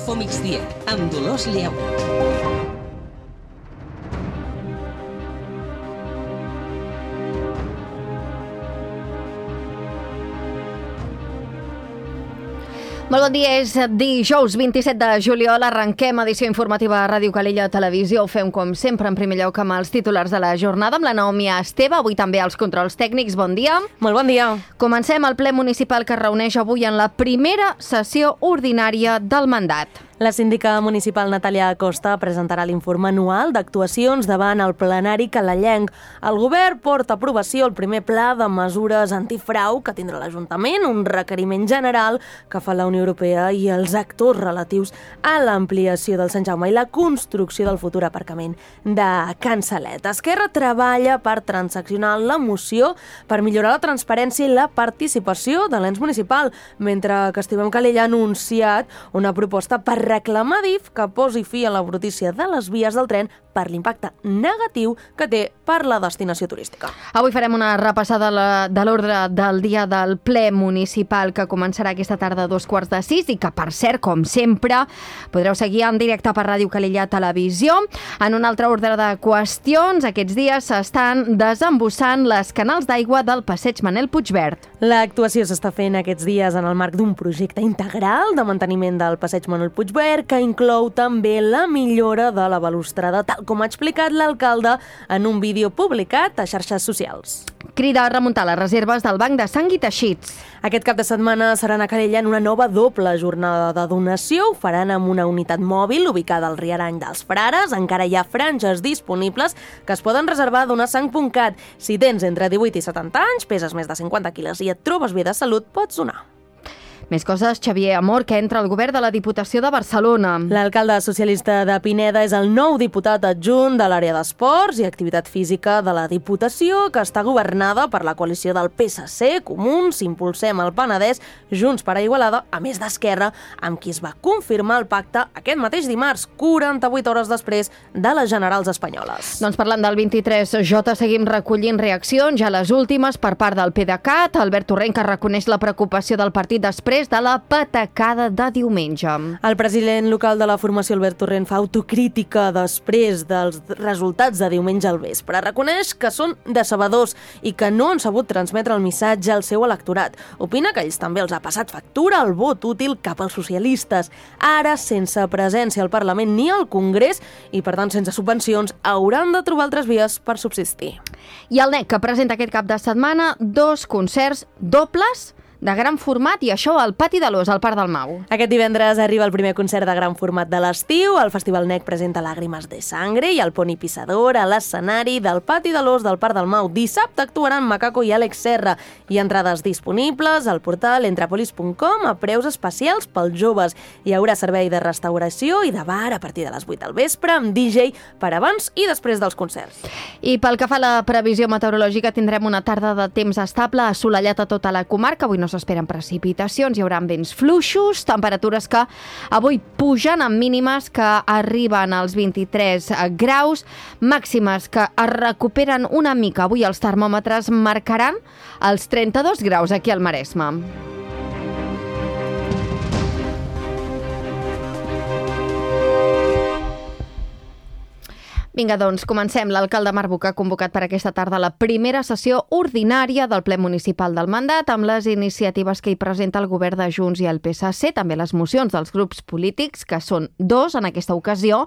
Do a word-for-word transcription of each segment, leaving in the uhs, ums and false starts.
Info Migdia, amb Dolors Lleó. Molt bon dia, és dijous vint-i-set de juliol, arrenquem edició informativa a Ràdio Calella Televisió. Ho fem com sempre en primer lloc amb els titulars de la jornada, amb la Naomi Esteve, avui també als controls tècnics. Bon dia. Molt bon dia. Comencem el ple municipal que es reuneix avui en la primera sessió ordinària del mandat. La síndica municipal Natàlia Acosta presentarà l'informe anual d'actuacions davant el plenari calellenc. El govern porta a aprovació el primer pla de mesures antifrau que tindrà l'Ajuntament, un requeriment general que fa la Unió Europea i els actors relatius a l'ampliació del Sant Jaume i la construcció del futur aparcament de Can Salet. Esquerra treballa per transaccionar la moció per millorar la transparència i la participació de l'ens municipal, mentre que Estimem Calella ha anunciat una proposta per reclamar D I F que posi fi a la brutícia de les vies del tren per l'impacte negatiu que té per la destinació turística. Avui farem una repassada de l'ordre del dia del ple municipal que començarà aquesta tarda a dos quarts de sis i que, per cert, com sempre, podreu seguir en directe per Ràdio Calella Televisió. En un altre ordre de qüestions, aquests dies s'estan desembussant les canals d'aigua del passeig Manel Puigverd. L'actuació s'està fent aquests dies en el marc d'un projecte integral de manteniment del passeig Manel Puigverd que inclou també la millora de la balustrada, tal com ha explicat l'alcalde en un vídeo publicat a xarxes socials. Crida a remuntar les reserves del Banc de Sang i Teixits. Aquest cap de setmana seran a Calella en una nova doble jornada de donació. Ho faran amb una unitat mòbil ubicada al Riarany dels Frares. Encara hi ha franges disponibles que es poden reservar a donasang punt cat. Si tens entre divuit i setanta anys, peses més de cinquanta quilos i et trobes bé de salut, pots donar. Més coses, Xavier Amor, que entra al govern de la Diputació de Barcelona. L'alcalde socialista de Pineda és el nou diputat adjunt de l'àrea d'esports i activitat física de la Diputació, que està governada per la coalició del P S C, Comuns, Impulsem el Penedès, Junts per a Igualada, a més d'Esquerra, amb qui es va confirmar el pacte aquest mateix dimarts, quaranta-vuit hores després de les generals espanyoles. Doncs parlant del vint-i-tres J, seguim recollint reaccions, ja les últimes per part del PDeCAT, Albert Torrent, que reconeix la preocupació del partit després de la patacada de diumenge. El president local de la formació, Albert Torrent, fa autocrítica després dels resultats de diumenge al vespre. Reconeix que són decebedors i que no han sabut transmetre el missatge al seu electorat. Opina que ells també els ha passat factura el vot útil cap als socialistes. Ara, sense presència al Parlament ni al Congrés i, per tant, sense subvencions, hauran de trobar altres vies per subsistir. I el N E C, que presenta aquest cap de setmana dos concerts dobles de gran format, i això al Pati de l'Os, al Parc del Mau. Aquest divendres arriba el primer concert de gran format de l'estiu. El Festival N E C presenta Làgrimes de Sangre i el Poni Pissador a l'escenari del Pati de l'Os del Parc del Mau. Dissabte actuaran Macaco i Àlex Serra. Hi ha entrades disponibles al portal entrepolis punt com a preus especials pels joves. Hi haurà servei de restauració i de bar a partir de les vuit del vespre amb D J per abans i després dels concerts. I pel que fa a la previsió meteorològica, tindrem una tarda de temps estable, assolellat a tota la comarca. Avui no s'esperen precipitacions, hi haurà vents fluixos, temperatures que avui pugen amb mínimes que arriben als vint-i-tres graus, màximes que es recuperen una mica. Avui els termòmetres marcaran els trenta-dos graus aquí al Maresme. Vinga, doncs, comencem. L'alcalde Marc Buch ha convocat per aquesta tarda la primera sessió ordinària del ple municipal del mandat amb les iniciatives que hi presenta el govern de Junts i el P S C, també les mocions dels grups polítics, que són dos en aquesta ocasió,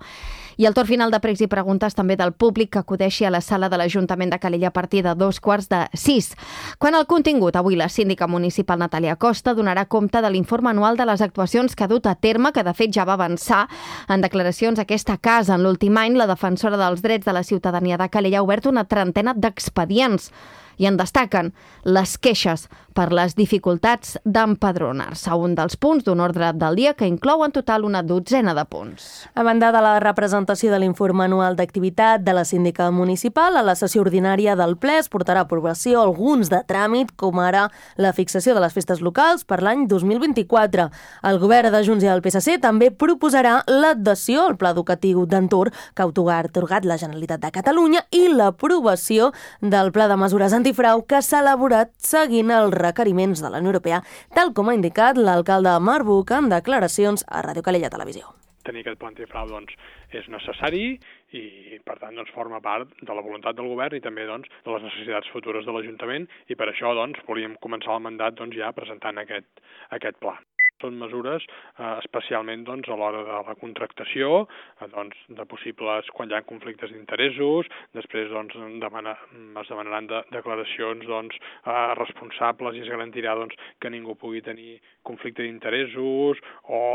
i el torn final de pregs i preguntes també del públic que acudeixi a la sala de l'Ajuntament de Calella a partir de dos quarts de sis. Quant al contingut, avui la síndica municipal Natàlia Acosta donarà compte de l'informe anual de les actuacions que ha dut a terme, que de fet ja va avançar en declaracions a aquesta casa. En l'últim any, la defensora dels drets de la ciutadania de Calella ha obert una trentena d'expedients i en destaquen les queixes per les dificultats d'empadronar-se, un dels punts d'un ordre del dia que inclou en total una dotzena de punts. A banda de la representació de l'informe anual d'activitat de la síndica municipal, a la sessió ordinària del ple es portarà a aprovació alguns de tràmit, com ara la fixació de les festes locals per l'any dos mil vint-i-quatre. El govern de Junts i el P S C també proposarà l'adhesió al pla educatiu d'entorn que ha atorgat la Generalitat de Catalunya i l'aprovació del pla de mesures anti antifrau que s'ha elaborat seguint els requeriments de la Unió Europea, tal com ha indicat l'alcalde Marbuc en declaracions a Ràdio Calella Televisió. Tenir aquest pla antifrau doncs, és necessari i, per tant, doncs, forma part de la voluntat del govern i també doncs, de les necessitats futures de l'Ajuntament i per això doncs, volíem començar el mandat doncs, ja presentant aquest, aquest pla. Són mesures eh, especialment doncs, a l'hora de la contractació, eh, doncs, de possibles quan hi ha conflictes d'interessos, després doncs, demana, es demanaran de, declaracions doncs, eh, responsables i es garantirà doncs, que ningú pugui tenir conflicte d'interessos o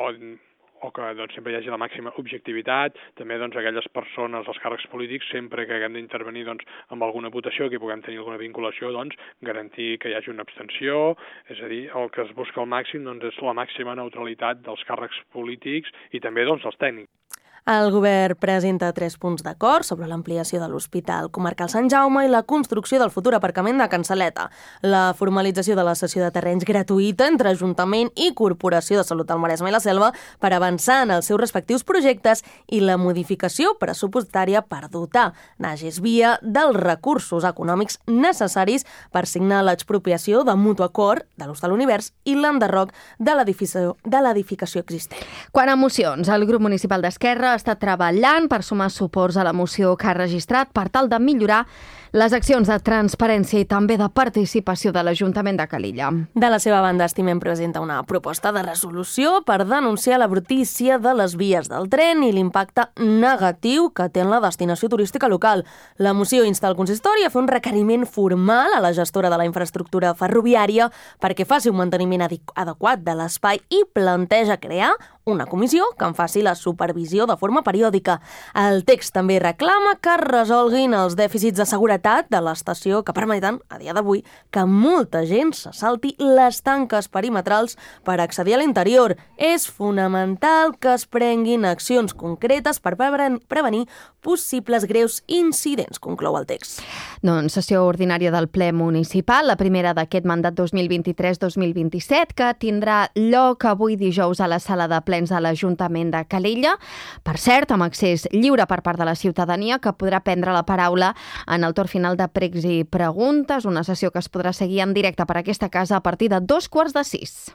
o que doncs, sempre hi hagi la màxima objectivitat, també doncs, aquelles persones, els càrrecs polítics, sempre que haguem d'intervenir doncs, amb alguna votació, que puguem tenir alguna vinculació, doncs, garantir que hi hagi una abstenció, és a dir, el que es busca al màxim doncs, és la màxima neutralitat dels càrrecs polítics i també doncs, dels tècnics. El govern presenta tres punts d'acord sobre l'ampliació de l'Hospital Comarcal Sant Jaume i la construcció del futur aparcament de Can Saleta, la formalització de la cessió de terrenys gratuïta entre Ajuntament i Corporació de Salut del Maresme i la Selva per avançar en els seus respectius projectes i la modificació pressupostària per dotar d'Ages Via dels recursos econòmics necessaris per signar l'expropiació de mutu acord de l'Hostal Univers i l'enderroc de l'edificació de l'edificació existent. Quan a mocions, el grup municipal d'Esquerra està treballant per sumar suports a la moció que ha registrat per tal de millorar les accions de transparència i també de participació de l'Ajuntament de Calella. De la seva banda, Estimem presenta una proposta de resolució per denunciar la brutícia de les vies del tren i l'impacte negatiu que té en la destinació turística local. La moció insta el consistori a fer un requeriment formal a la gestora de la infraestructura ferroviària perquè faci un manteniment adequat de l'espai i planteja crear una comissió que en faci la supervisió de forma periòdica. El text també reclama que es resolguin els dèficits de seguretat de l'estació que permeten, a dia d'avui, que molta gent se salti les tanques perimetrals per accedir a l'interior. És fonamental que es prenguin accions concretes per prevenir possibles greus incidents, conclou el text. Doncs sessió ordinària del ple municipal, la primera d'aquest mandat dos mil vint-i-tres dos mil vint-i-set, que tindrà lloc avui dijous a la sala de plens de l'Ajuntament de Calella. Per cert, amb accés lliure per part de la ciutadania, que podrà prendre la paraula en el torn final de pregs i preguntes, una sessió que es podrà seguir en directe per aquesta casa a partir de dos quarts de sis.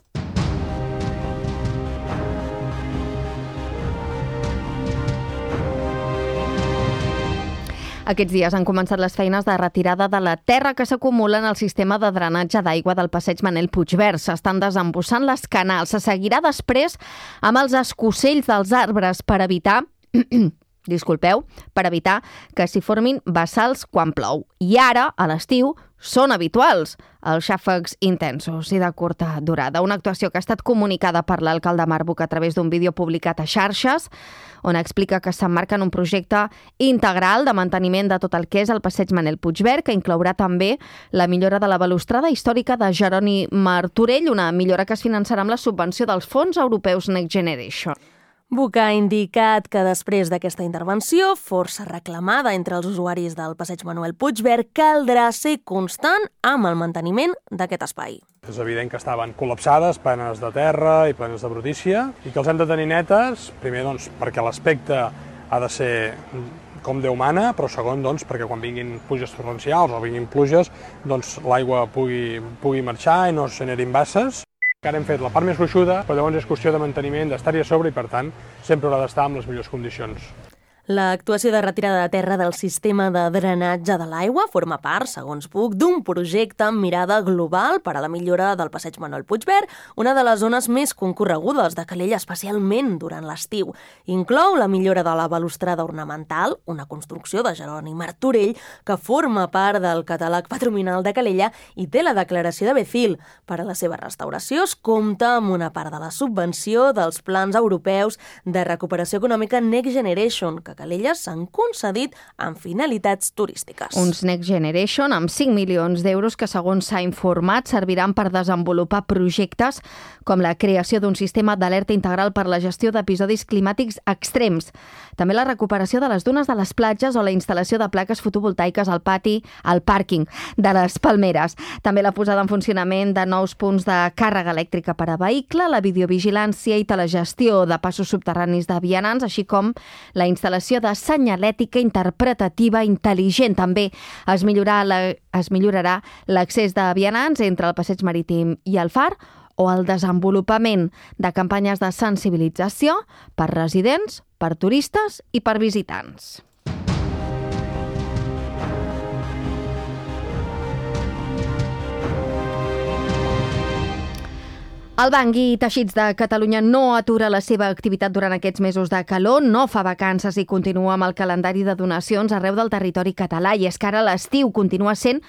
Aquests dies han començat les feines de retirada de la terra que s'acumula en el sistema de drenatge d'aigua del passeig Manel Puigvert. S'estan desembussant les canals. Se seguirà després amb els escocells dels arbres per evitar... disculpeu, per evitar que s'hi formin bassals quan plou. I ara, a l'estiu, són habituals els xàfecs intensos i de curta durada. Una actuació que ha estat comunicada per l'alcalde Marbuc a través d'un vídeo publicat a xarxes, on explica que s'emmarca en un projecte integral de manteniment de tot el que és el passeig Manel Puigvert, que inclourà també la millora de la balustrada històrica de Jeroni Martorell, una millora que es finançarà amb la subvenció dels fons europeus Next Generation. Buc ha indicat que després d'aquesta intervenció, força reclamada entre els usuaris del passeig Manuel Puigvert, caldrà ser constant amb el manteniment d'aquest espai. És evident que estaven col·lapsades, plenes de terra i plenes de brutícia, i que els hem de tenir netes, primer doncs, perquè l'aspecte ha de ser com Déu mana, però segon doncs, perquè quan vinguin pluges torrencials o vinguin pluges, doncs, l'aigua pugui, pugui marxar i no es generin basses. Ara hem fet la part més gruixuda, però llavors és qüestió de manteniment, d'estar-hi a sobre i, per tant, sempre haurà d'estar en les millors condicions. L'actuació de retirada de terra del sistema de drenatge de l'aigua forma part, segons Buc, d'un projecte amb mirada global per a la millora del passeig Manuel Puigvert, una de les zones més concorregudes de Calella, especialment durant l'estiu. Inclou la millora de la balustrada ornamental, una construcció de Jeroni Martorell, que forma part del catàleg patrimonial de Calella i té la declaració de Becil. Per a la seva restauració es compta amb una part de la subvenció dels plans europeus de recuperació econòmica Next Generation, que Calella s'han concedit amb finalitats turístiques. Uns Next Generation amb cinc milions d'euros que, segons s'ha informat, serviran per desenvolupar projectes com la creació d'un sistema d'alerta integral per la gestió d'episodis climàtics extrems, també la recuperació de les dunes de les platges o la instal·lació de plaques fotovoltaiques al pati, al pàrquing de les Palmeres. També la posada en funcionament de nous punts de càrrega elèctrica per a vehicle, la videovigilància i telegestió de passos subterranis de vianants, així com la instal·lació utilització de senyalètica interpretativa intel·ligent. També es, millorarà la, es millorarà l'accés de vianants entre el passeig marítim i el far, o el desenvolupament de campanyes de sensibilització per residents, per turistes i per visitants. El Banc i Teixits de Catalunya no atura la seva activitat durant aquests mesos de calor, no fa vacances i continua amb el calendari de donacions arreu del territori català. I és que ara l'estiu continua sent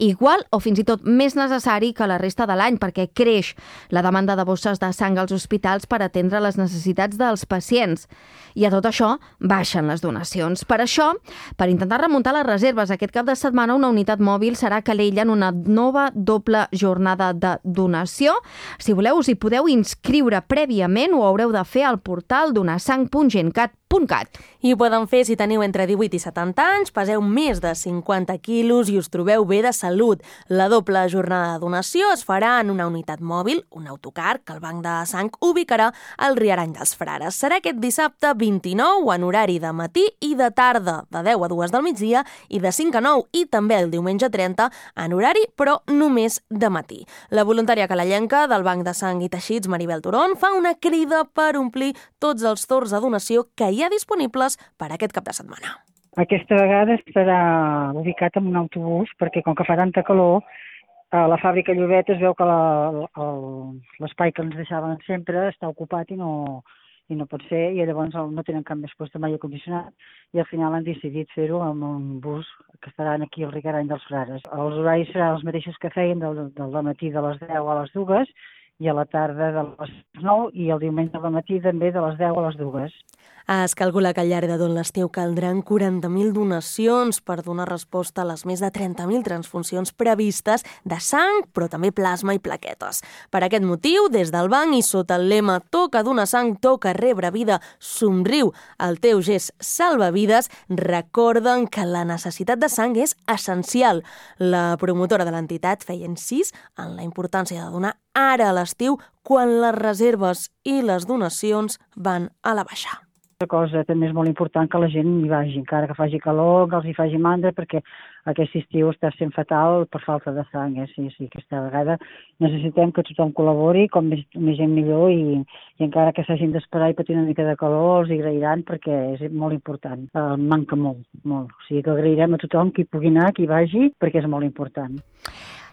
igual o fins i tot més necessari que la resta de l'any, perquè creix la demanda de bosses de sang als hospitals per atendre les necessitats dels pacients. I a tot això baixen les donacions. Per això, per intentar remuntar les reserves aquest cap de setmana, una unitat mòbil serà a Calella en una nova doble jornada de donació. Si voleu, us hi podeu inscriure prèviament, ho haureu de fer al portal donasang punt gencat punt cat. I ho poden fer si teniu entre divuit i setanta anys, peseu més de cinquanta quilos i us trobeu bé de salut. La doble jornada de donació es farà en una unitat mòbil, un autocar, que el Banc de Sang ubicarà al Riarany dels Frares. Serà aquest dissabte vint-i-nou en horari de matí i de tarda, de deu a dues del migdia i de cinc a nou, i també el diumenge trenta en horari, però només de matí. La voluntària calellenca del Banc de Sang i Teixits, Maribel Turón, fa una crida per omplir tots els torns de donació que hi ha disponibles per aquest cap de setmana. Aquesta vegada estarà ubicat en un autobús perquè com que fa tanta calor, a la fàbrica Llobet es veu que l'espai que ens deixaven sempre està ocupat i no, i no pot ser, i llavors no tenen cap més lloc de aire condicionat i al final han decidit fer-ho amb un bus que estaran aquí al Riarany dels Frares. Els horaris seran els mateixos que feien del, del matí de les deu a les dues i a la tarda de les nou i el diumenge al matí també de les deu a les dues. Es calcula que al llarg de tot l'estiu caldran quaranta mil donacions per donar resposta a les més de trenta mil transfusions previstes de sang, però també plasma i plaquetes. Per aquest motiu, des del banc i sota el lema Toca donar sang, toca rebre vida, somriu, el teu gest salva vides, recorden que la necessitat de sang és essencial. La promotora de l'entitat feia incís en la importància de donar ara a l'estiu quan les reserves i les donacions van a la baixa. Una cosa també és molt important que la gent hi vagi, encara que faci calor, que els hi faci mandra, perquè aquest estiu està sent fatal per falta de sang. Eh? Sí, sí, aquesta vegada necessitem que tothom col·labori, com més, més gent millor, i, i encara que s'hagin d'esperar i patir una mica de calor, els hi agrairan perquè és molt important. Uh, manca molt, molt. O sigui que agrairem a tothom qui pugui anar, qui vagi, perquè és molt important.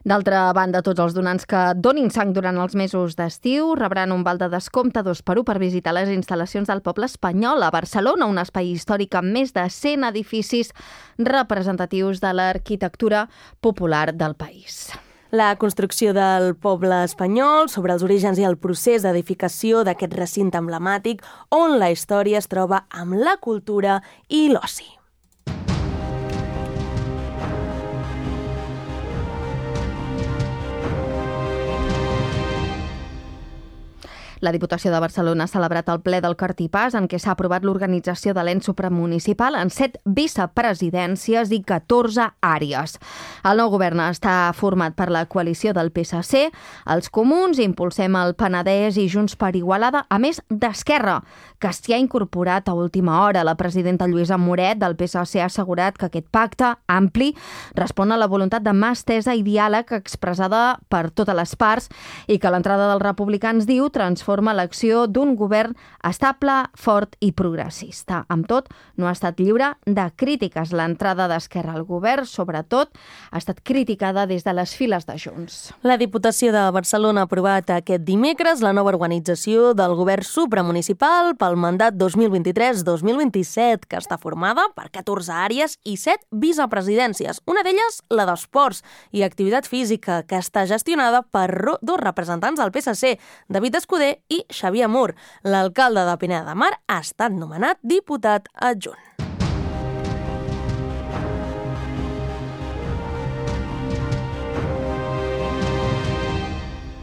D'altra banda, tots els donants que donin sang durant els mesos d'estiu rebran un val de descompte dos per u per visitar les instal·lacions del Poble Espanyol a Barcelona, un espai històric amb més de cent edificis representatius de l'arquitectura popular del país. La construcció del Poble Espanyol, sobre els orígens i el procés d'edificació d'aquest recinte emblemàtic, on la història es troba amb la cultura i l'oci. La Diputació de Barcelona ha celebrat el ple del Cartipàs en què s'ha aprovat l'organització de l'ens supramunicipal en set vicepresidències i catorze àrees. El nou govern està format per la coalició del P S C, els Comuns, Impulsem el Penedès i Junts per Igualada, a més d'Esquerra, que s'hi ha incorporat a última hora. La presidenta Lluïsa Moret del P S C ha assegurat que aquest pacte ampli respon a la voluntat de mà estesa i diàleg expressada per totes les parts i que l'entrada dels republicans, diu, transforma forma l'acció d'un govern estable, fort i progressista. Amb tot, no ha estat lliure de crítiques. L'entrada d'Esquerra al govern, sobretot, ha estat criticada des de les files de Junts. La Diputació de Barcelona ha aprovat aquest dimecres la nova organització del govern supramunicipal pel mandat dos mil vint-i-tres dos mil vint-i-set, que està formada per catorze àrees i set vicepresidències. Una d'elles, la d'Esports i Activitat Física, que està gestionada per dos representants del P S C, David Escudé i Xavier Mur. L'alcalde de Pineda de Mar ha estat nomenat diputat adjunt.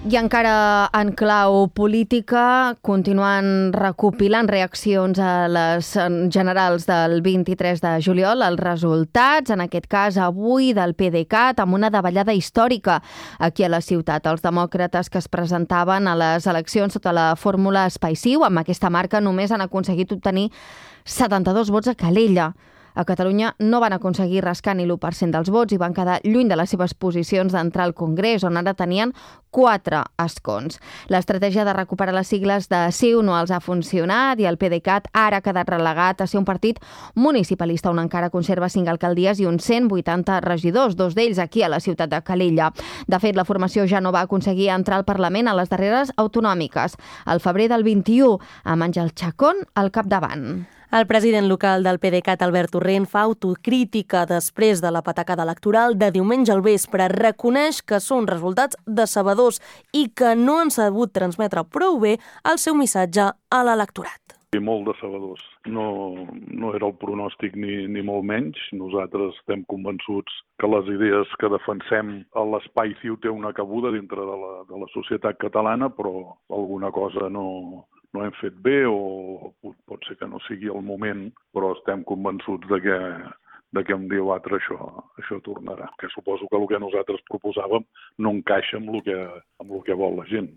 I encara en clau política, continuen recopilant reaccions a les generals del vint-i-tres de juliol, els resultats, en aquest cas avui del PDeCAT, amb una davallada històrica aquí a la ciutat. Els demòcrates que es presentaven a les eleccions sota la fórmula Espai-Ciu, amb aquesta marca només han aconseguit obtenir setanta-dos vots a Calella. A Catalunya no van aconseguir rascar ni l'u per cent dels vots i van quedar lluny de les seves posicions d'entrar al Congrés, on ara tenien quatre escons. L'estratègia de recuperar les sigles de CiU no els ha funcionat i el PDeCAT ara ha quedat relegat a ser un partit municipalista on encara conserva cinc alcaldies i uns cent vuitanta regidors, dos d'ells aquí a la ciutat de Calella. De fet, la formació ja no va aconseguir entrar al Parlament a les darreres autonòmiques, al febrer del vint-i-u, amb Àngel Chacón al capdavant. El president local del PDeCAT, Albert Torrent, fa autocrítica després de la patacada electoral de diumenge al vespre. Reconeix que són resultats decebedors i que no han sabut transmetre prou bé el seu missatge a l'electorat. I molt decebedors. No, no era el pronòstic ni, ni molt menys. Nosaltres estem convençuts que les idees que defensem a l'Espai-Ciu té una cabuda dintre de la, de la societat catalana, però alguna cosa no... no hem fet bé o pot ser que no sigui el moment, però estem convençuts de que, de que un dia o altre això, això tornarà. Que suposo que el que nosaltres proposàvem no encaixa amb el que, amb el que vol la gent.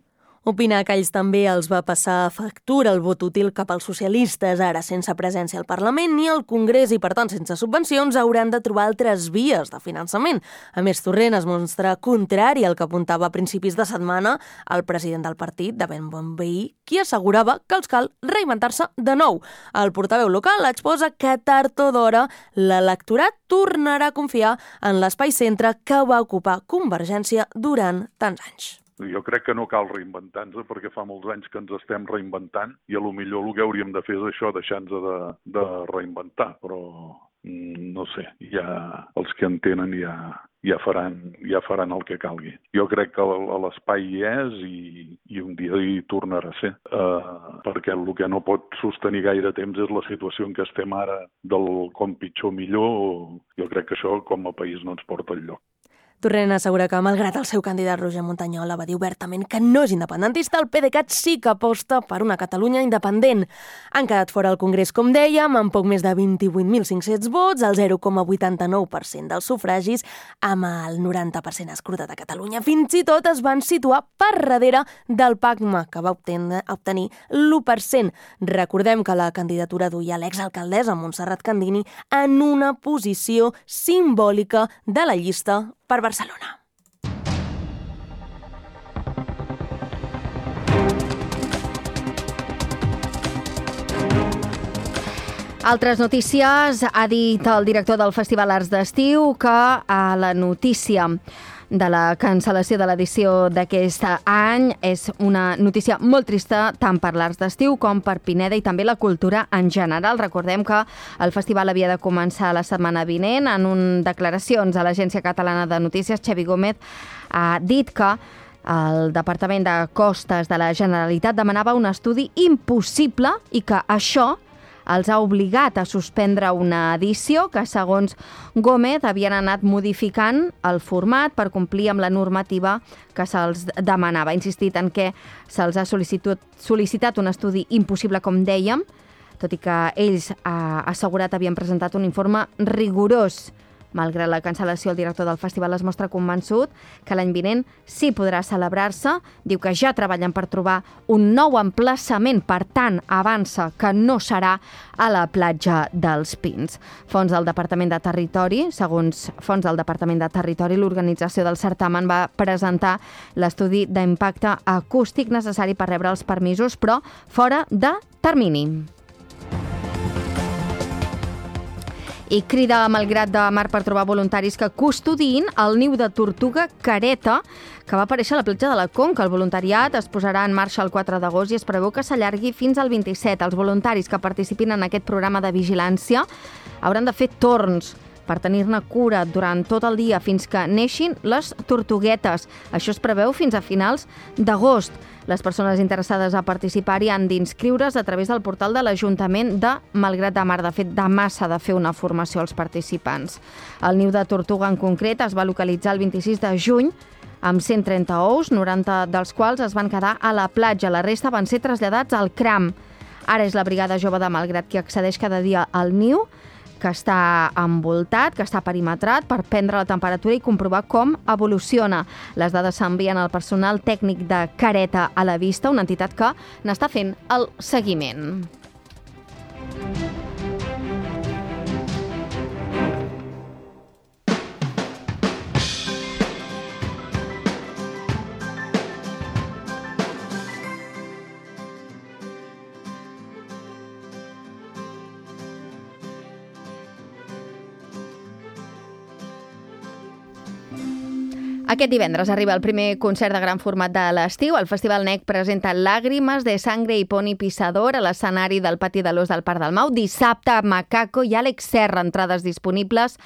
Opina que ells també els va passar factura el vot útil cap als socialistes, ara sense presència al Parlament ni al Congrés i, per tant, sense subvencions, hauran de trobar altres vies de finançament. A més, Torrent es mostra contrari al que apuntava a principis de setmana el president del partit, de ben bon veí, qui assegurava que els cal reinventar-se de nou. El portaveu local exposa que tard o d'hora l'electorat tornarà a confiar en l'espai centre que va ocupar Convergència durant tants anys. Jo crec que no cal reinventar-nos perquè fa molts anys que ens estem reinventant i a lo millor el que hauríem de fer és això, deixar-nos de, de reinventar, però no sé, ja els que en tenen ja, ja, faran, ja faran el que calgui. Jo crec que l'espai hi és i, i un dia hi tornarà a ser, uh, perquè el que no pot sostenir gaire temps és la situació en què estem ara del com pitjor millor. Jo crec que això com a país no ens porta enlloc. Torrent assegura que, malgrat el seu candidat Roger Montañola va dir obertament que no és independentista, el PDeCAT sí que aposta per una Catalunya independent. Han quedat fora al Congrés, com dèiem, amb poc més de vint-i-vuit mil cinc-cents vots, el zero coma vuitanta-nou per cent dels sufragis, amb el noranta per cent escrutat a Catalunya. Fins i tot es van situar per darrere del PACMA, que va obtenir l'u per cent. Recordem que la candidatura duia l'exalcaldessa Montserrat Candini en una posició simbòlica de la llista per Barcelona. Altres notícies. Ha dit el director del Festival Arts d'Estiu que a la notícia de la cancel·lació de l'edició d'aquest any és una notícia molt trista tant per l'Arts d'Estiu com per Pineda i també la cultura en general. Recordem que el festival havia de començar la setmana vinent. En un declaracions a l'Agència Catalana de Notícies, Xavi Gómez ha dit que el Departament de Costes de la Generalitat demanava un estudi impossible i que això els ha obligat a suspendre una edició que, segons Gómez, havien anat modificant el format per complir amb la normativa que se'ls demanava. Ha insistit en que se'ls ha sol·licitat, sol·licitat un estudi impossible, com dèiem, tot i que ells ha assegurat havien presentat un informe rigorós. Malgrat la cancel·lació, el director del festival es mostra convençut que l'any vinent sí podrà celebrar-se. Diu que ja treballen per trobar un nou emplaçament, per tant, avança que no serà a la platja dels Pins. Fons del Departament de Territori, segons fons del Departament de Territori, l'organització del certamen va presentar l'estudi d'impacte acústic necessari per rebre els permisos, però fora de termini. I crida a Malgrat de Mar per trobar voluntaris que custodiïn el niu de tortuga careta que va aparèixer a la platja de la Conca. El voluntariat es posarà en marxa el quatre d'agost i es preveu que s'allargui fins al vint-i-set. Els voluntaris que participin en aquest programa de vigilància hauran de fer torns per tenir-ne cura durant tot el dia fins que neixin les tortuguetes. Això es preveu fins a finals d'agost. Les persones interessades a participar-hi han d'inscriure's a través del portal de l'Ajuntament de Malgrat de Mar. De fet, demà s'ha de fer una formació als participants. El niu de tortuga en concret es va localitzar el vint-i-sis de juny amb cent trenta ous, noranta dels quals es van quedar a la platja. La resta van ser traslladats al Cram. Ara és la Brigada Jove de Malgrat qui accedeix cada dia al niu, que està envoltat, que està perimetrat, per prendre la temperatura i comprovar com evoluciona. Les dades s'envien al personal tècnic de Careta a la Vista, una entitat que n'està fent el seguiment. Aquest divendres arriba el primer concert de gran format de l'estiu. El Festival N E C presenta Lágrimas de Sangre i Pony Pisador a l'escenari del Pati de l'Ós del Parc del Mau. Dissabte, Macaco i Àlex Serra, entrades disponibles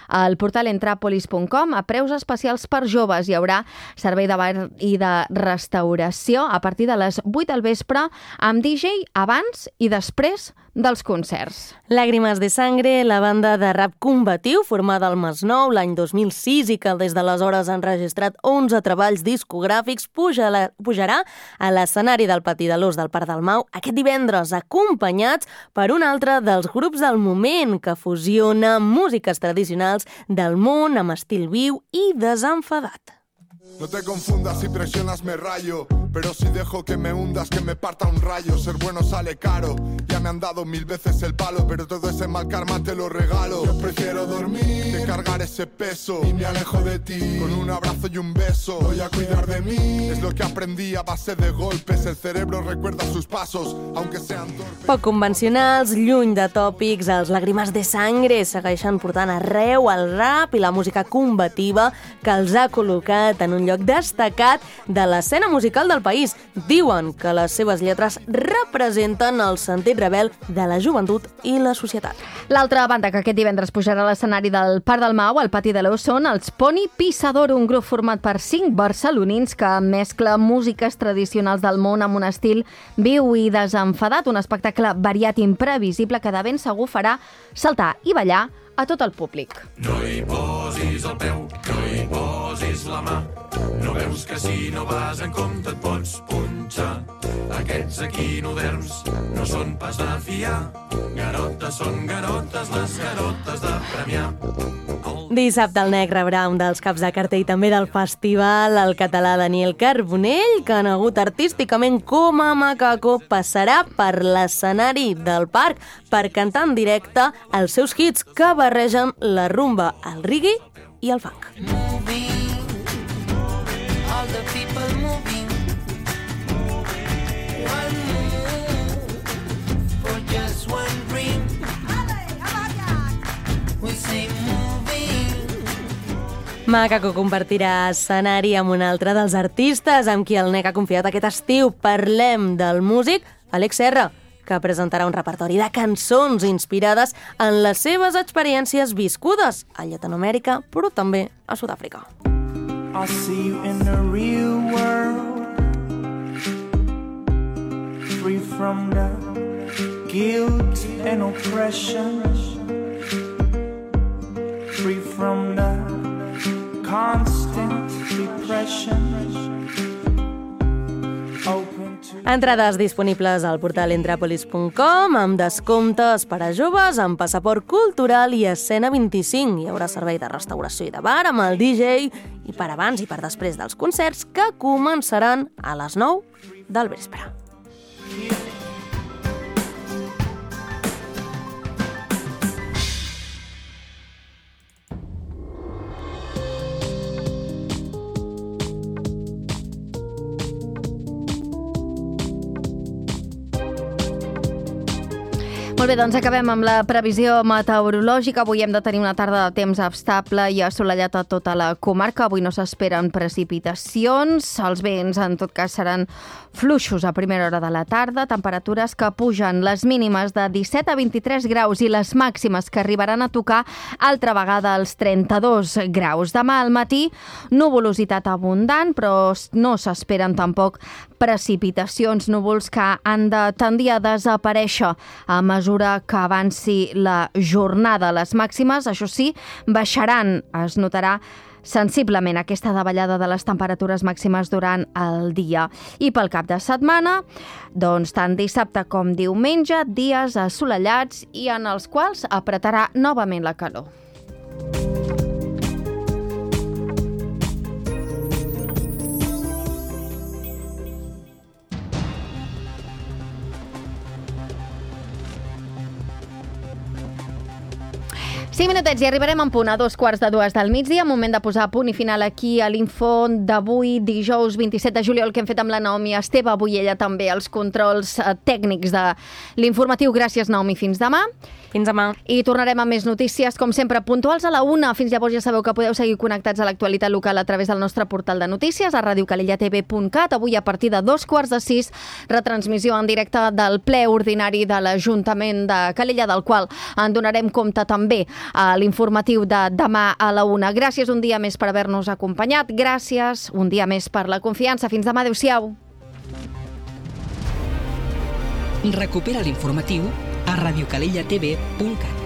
al portal entrapolis punt com. A preus especials per joves hi haurà servei de bar i de restauració a partir de les vuit del vespre amb D J abans i després dels concerts. Lágrimas de Sangre, la banda de rap combatiu formada al Masnou l'any dos mil sis i que des d'aleshores ha enregistrat onze treballs discogràfics, pujarà, pujarà a l'escenari del Pati de l'Ós del Parc del Mau aquest divendres, acompanyats per un altre dels grups del moment que fusiona músiques tradicionals del món amb estil viu i desenfadat. No te confundas, si presionas me rayo, pero si dejo que me hundas, que me parta un rayo. Ser bueno sale caro, ya me han dado mil veces el palo, pero todo ese mal karma te lo regalo. Yo prefiero dormir que cargar ese peso y me alejo de ti con un abrazo y un beso. Voy a cuidar de mí, es lo que aprendí a base de golpes. El cerebro recuerda sus pasos, aunque sean torpes. Poc convencionals, lluny de tòpics, els Lágrimas de Sangre segueixen portant arreu el rap i la música combativa que els ha col·locat en un lloc destacat de l'escena musical del país. Diuen que les seves lletres representen el sentit rebel de la joventut i la societat. L'altra banda que aquest divendres pujarà a l'escenari del Parc del Mau, al Pati de l'Ós, són els Pony Pisador, un grup format per cinc barcelonins que mescla músiques tradicionals del món amb un estil viu i desenfadat, un espectacle variat i imprevisible que de ben segur farà saltar i ballar a tot el públic. No hi posis el peu, no hi posis la mà. No veus que si no vas en compte et pots punxar. Aquests equinoderms no són pas de fiar. Garotes són garotes, les garotes de premiar. Dissabte el N E C rebrà un dels caps de cartell també del festival, el català Daniel Carbonell, que conegut artísticament com a Macaco, passarà per l'escenari del parc per cantar en directe els seus hits que barregen la rumba, el reggae i el funk. All the people moving, one move for just one dream. We say moving. Macaco compartirà escenari amb un altre dels artistes amb qui el N E C ha confiat aquest estiu. Parlem del músic Àlex Serra, que presentarà un repertori de cançons inspirades en les seves experiències viscudes a Llatinoamèrica, però també a Sud-àfrica. I'll see you in the real world, free from the guilt and oppression, free from the constant depression. Entrades disponibles al portal entrapolis punt com amb descomptes per a joves amb passaport cultural i escena vint-i-cinc. Hi haurà servei de restauració i de bar amb el D J i per abans i per després dels concerts que començaran a les nou del vespre. Molt bé, doncs acabem amb la previsió meteorològica. Avui hem de tenir una tarda de temps estable i assolellat a tota la comarca. Avui no s'esperen precipitacions. Els vents, en tot cas, seran fluixos a primera hora de la tarda. Temperatures que pugen, les mínimes de disset a vint-i-tres graus i les màximes que arribaran a tocar altra vegada als trenta-dos graus. Demà al matí, nuvolositat abundant, però no s'esperen tampoc precipitacions, núvols que han de tendir a desaparèixer a mesura que avanci la jornada. Les màximes, això sí, baixaran. Es notarà sensiblement aquesta davallada de les temperatures màximes durant el dia. I pel cap de setmana, doncs tant dissabte com diumenge, dies assolellats i en els quals apretarà novament la calor. cinc minutets i arribarem en punt a dos quarts de dues del migdia, moment de posar punt i final aquí a l'Info d'avui, dijous vint-i-set de juliol, que hem fet amb la Naomi Esteve, avui ella també els controls tècnics de l'informatiu. Gràcies, Naomi, fins demà. Fins demà. I tornarem amb més notícies, com sempre, puntuals a la una. Fins llavors ja sabeu que podeu seguir connectats a l'actualitat local a través del nostre portal de notícies, a radio calella t v punt cat. Avui, a partir de dos quarts de sis, retransmissió en directe del ple ordinari de l'Ajuntament de Calella, del qual en donarem compte també a l'informatiu de demà a la una. Gràcies un dia més per haver-nos acompanyat. Gràcies un dia més per la confiança. Fins demà. Adéu-siau. Recupera l'informatiu a radio calella t v punt cat.